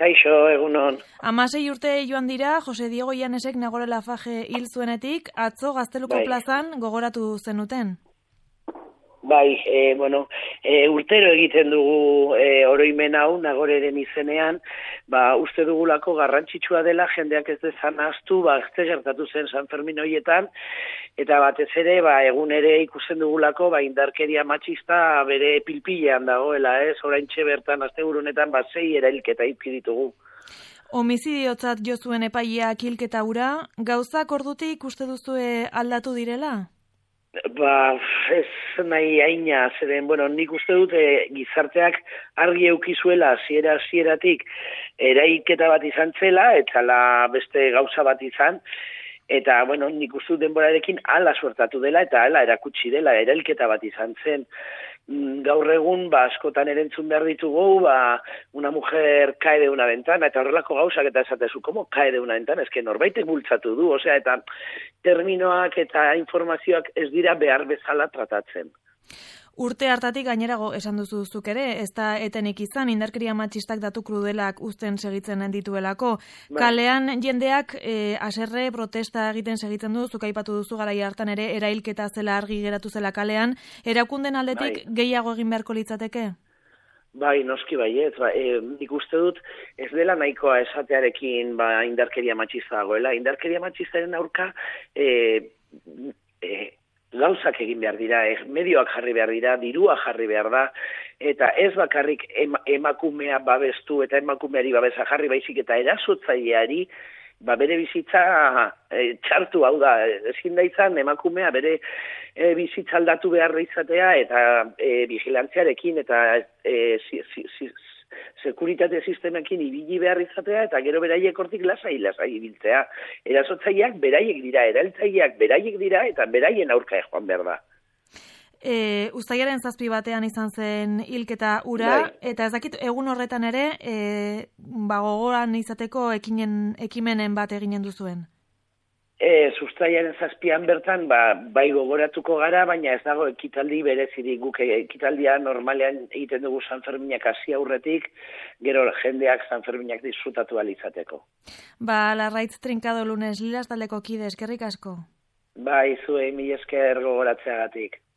Kaixo, egunon. 16 urte joan dira, Jose Diego Llanesek Nagore Laffage hil zuenetik, atzo Gazteluko plazan gogoratu zenuten. Bai, urtero egiten dugu oroimen hau Nagoreren izenean, uste dugulako garrantzitsua dela jendeak ez dezan ahaztu, ze gertatu zen San Fermin horietan, eta batez ere, egun ere ikusten dugulako, indarkeria matxista bere pilpilean dagoela, oraintxe bertan, asteburu honetan, 6 erailketa ipki ditugu. Homizidiotzat jo zuen epaileak hilketa hura, gauzak ordutik uste duzue aldatu direla? Ez nahi haina, zeren, nik uste dut gizarteak argi eukizuela hasieratik erailketa bat izan zela, eta beste gauza bat izan, eta, nik uste dut denborarekin hala suertatu dela, eta hala erakutsi dela, erailketa bat izan zen. Gaur egun, askotan erentzun behar ditugu, una mujer cae de una ventana, eta horrelako gauzak eta esatezu, ¿cómo cae de una ventana? Ez que norbaitek bultzatu du, eta terminoak eta informazioak ez dira behar bezala tratatzen. Urte hartatik gainerago esan duzu zuk ere, ez da etenik izan, indarkeria matxistak datu krudelak uzten segitzen dituelako. Kalean jendeak haserre protesta egiten segitzen du, zuk aipatu duzu garai hartan ere, erailketa zela argi geratu zela kalean, erakunden aldetik gehiago egin beharko litzateke? Bai, noski baiet, nik uste dut ez dela nahikoa esatearekin indarkeria matxista dagoela. Indarkeria matxistaren aurka gauzak egin behar dira, medioak jarri behar dira, dirua jarri behar da, eta ez bakarrik emakumea babestu eta emakumeari babesa jarri baizik eta erasotzaileari bere bizitza txartu, hau da, ezin da izan emakumea bere bizitza aldatu behar izatea eta vigilantziarekin eta sekuritate sistemekin ibili behar izatea eta gero beraiek hortik lasai ibiltzea. Erasotzaileak beraiek dira, erailtzaileak beraiek dira eta beraien aurka joan behar da. Uztailaren 7 batean izan zen hilketa hura, eta ez dakit egun horretan ere gogoan izateko ekimenen bat eginen duzuen. Uztailaren 7an bertan bai gogoratuko gara, baina ez dago ekitaldi berezirik. Guk ekitaldia normalean egiten dugu San Ferminak hasi aurretik, gero jendeak San Ferminak disfrutatu ahal izateko. Larraitz Trincado Lunes, Lilas taldeko kide, eskerrik asko. Bai, zuei mila esker gogoratzeagatik.